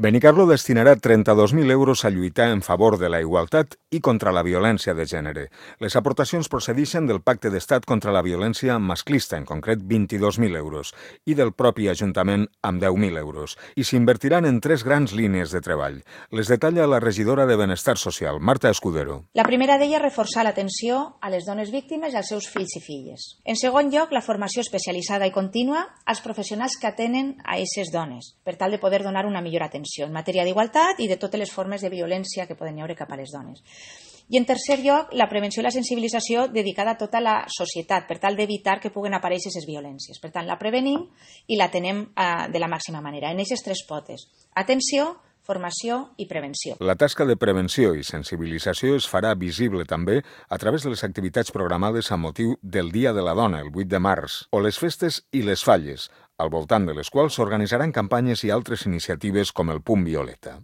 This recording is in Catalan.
Benicarló destinarà 32.000 euros a lluitar en favor de la igualtat i contra la violència de gènere. Les aportacions procedeixen del Pacte d'Estat contra la violència masclista, en concret 22.000 euros, i del propi Ajuntament amb 10.000 euros, i s'invertiran en 3 grans línies de treball. Les detalla la regidora de Benestar Social, Marta Escudero. La primera d'elles és reforçar l'atenció a les dones víctimes i als seus fills i filles. En segon lloc, la formació especialitzada i contínua als professionals que atenen a aquestes dones, per tal de poder donar una millor atenció en matèria d'igualtat i de totes les formes de violència que poden haver cap a les dones. I en tercer lloc, la prevenció i la sensibilització dedicada a tota la societat per tal d'evitar que puguen aparèixer aquestes violències. Per tant, la prevenim i la tenem de la màxima manera, en aquestes 3 potes: atenció, formació i prevenció. La tasca de prevenció i sensibilització es farà visible també a través de les activitats programades a motiu del Dia de la Dona, el 8 de març, o les festes i les falles, al voltant de les quals s'organitzaran campanyes i altres iniciatives com el Punt Violeta.